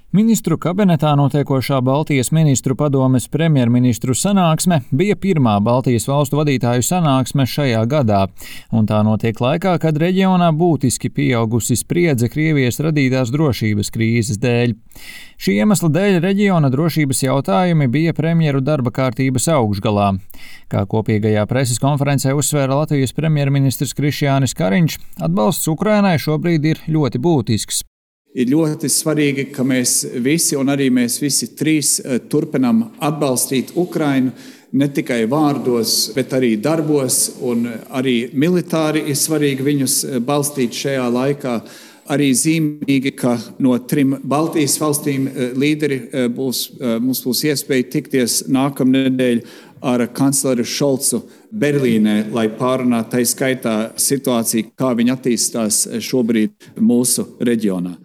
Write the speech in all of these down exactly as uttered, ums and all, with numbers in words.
Ministru kabinetā notiekošā Baltijas ministru padomes premjerministru sanāksme bija pirmā Baltijas valstu vadītāju sanāksme šajā gadā, un tā notiek laikā, kad reģionā būtiski pieaugusi spriedze Krievijas radītās drošības krīzes dēļ. Šī iemesla dēļ reģiona drošības jautājumi bija premjeru darba kārtības augšgalā. Kā kopīgajā preses konferencē uzsvēra Latvijas premjerministrs Krišjānis Kariņš, atbalsts Ukrainai šobrīd ir ļoti būtisks. Ir ļoti svarīgi, ka mēs visi, un arī mēs visi trīs, turpinām atbalstīt Ukrainu ne tikai vārdos, bet arī darbos, un arī militāri ir svarīgi viņus balstīt šajā laikā. Arī zīmīgi, ka no trim Baltijas valstīm līderi būs, mums būs iespēja tikties nākamnedēļ ar kancleru Šolcu Berlīnē, lai pārunātu tai skaitā situāciju, kā viņa attīstās šobrīd mūsu reģionā.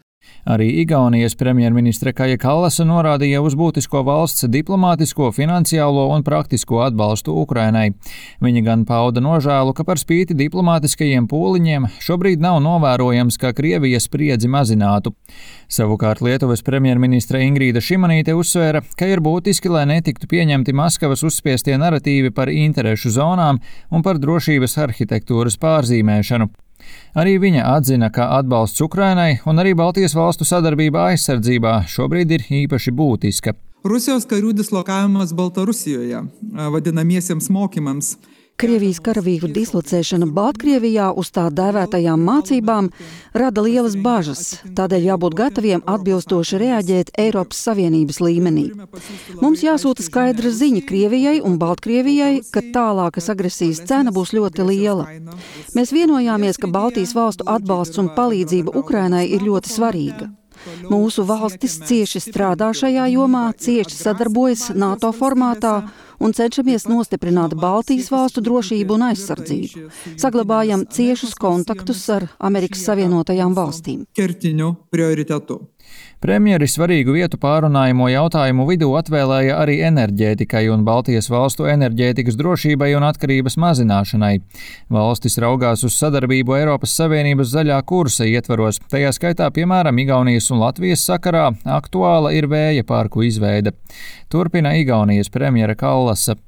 Arī Igaunijas premjerministre Kaja Kallasa norādīja uz būtisko valsts diplomātisko, finansiālo un praktisko atbalstu Ukrainai. Viņa gan pauda nožēlu, ka par spīti diplomātiskajiem pūliņiem šobrīd nav novērojams, ka Krievija spriedzi mazinātu. Savukārt Lietuvas premjerministre Ingrīda Šimanīte uzsvēra, ka ir būtiski, lai netiktu pieņemti Maskavas uzspiestie naratīvi par interešu zonām un par drošības arhitektūras pārzīmēšanu. Arī viņa atzina, ka atbalsts Ukrainai un arī Baltijas valstu sadarbība aizsardzībā šobrīd ir īpaši būtiska. Rusijos karių dislokavimas Baltarusijoje vadinamiesiems mokymams. Krievijas karavīru dislocēšana Baltkrievijā uz tā dēvētajām mācībām rada lielas bažas, tādēļ jābūt gataviem atbilstoši reaģēt Eiropas Savienības līmenī. Mums jāsūta skaidra ziņa Krievijai un Baltkrievijai, ka tālākas agresijas cena būs ļoti liela. Mēs vienojāmies, ka Baltijas valstu atbalsts un palīdzība Ukrainai ir ļoti svarīga. Mūsu valstis cieši strādā šajā jomā, cieši sadarbojas NATO formātā un cenšamies nostiprināt Baltijas valstu drošību un aizsardzību. Saglabājam ciešus kontaktus ar Amerikas Savienotajām valstīm. Kertiņu prioritetu. Premjeri svarīgu vietu pārunājumu jautājumu vidū atvēlēja arī enerģētikai un Baltijas valstu enerģētikas drošībai un atkarības mazināšanai. Valstis raugās uz sadarbību Eiropas Savienības zaļā kursa ietvaros, tajā skaitā piemēram Igaunijas un Latvijas sakarā aktuāla ir vēja parku izveide. Turpina Igaunijas premjera Kallasa.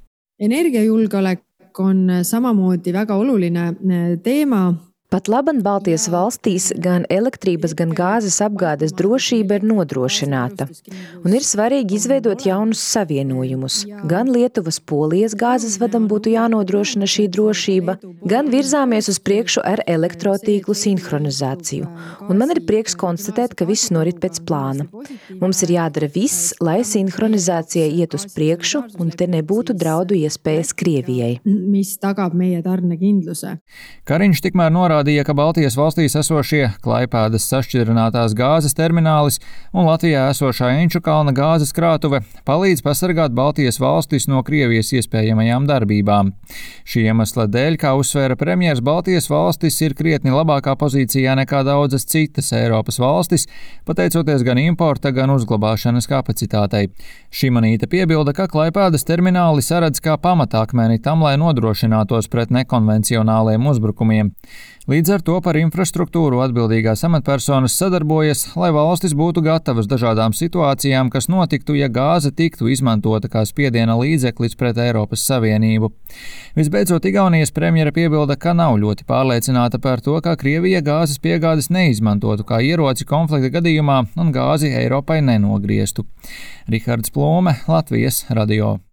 Energiajulgeolek on samamoodi väga oluline teema. Pat laban Baltijas valstīs gan elektrības, gan gāzes apgādes drošība ir nodrošināta. Un ir svarīgi izveidot jaunus savienojumus. Gan Lietuvas Polijas gāzes vadam būtu jānodrošina šī drošība, gan virzāmies uz priekšu ar elektrotīklu sinhronizāciju. Un man ir prieks konstatēt, ka viss norit pēc plāna. Mums ir jādara viss, lai sinhronizācija iet uz priekšu un te nebūtu draudu iespējas Krievijai. Mis tagab meie tarnekindluse. Kariņš tikmēr norādīja, ka Baltijas valstīs esošie Klaipēdas sašķidrinātās gāzes terminālis un Latvijā esošā Inčukalna gāzes krātuve palīdz pasargāt Baltijas valstis no Krievijas iespējamajām darbībām. Šī iemesla dēļ, kā uzsvēra premjers, Baltijas valstis ir krietni labākā pozīcijā nekā daudzas citas Eiropas valstis, pateicoties gan importa, gan uzglabāšanas kapacitātei. Šimanīte piebilda, ka Klaipēdas termināli saredz kā pamatakmeni tam, lai nodrošinātos pret nekonvencionāliem uzbrukumiem. Līdz ar to par infrastruktūru atbildīgās amatpersonas sadarbojas, lai valstis būtu gatavas dažādām situācijām, kas notiktu, ja gāze tiktu izmantota kā spiediena līdzeklis pret Eiropas Savienību. Visbeidzot, Igaunijas premjera piebilda, ka nav ļoti pārliecināta par to, ka Krievija gāzes piegādes neizmantotu kā ieroci konflikta gadījumā un gāzi Eiropai nenogrieztu. Rihards Plūme, Latvijas radio.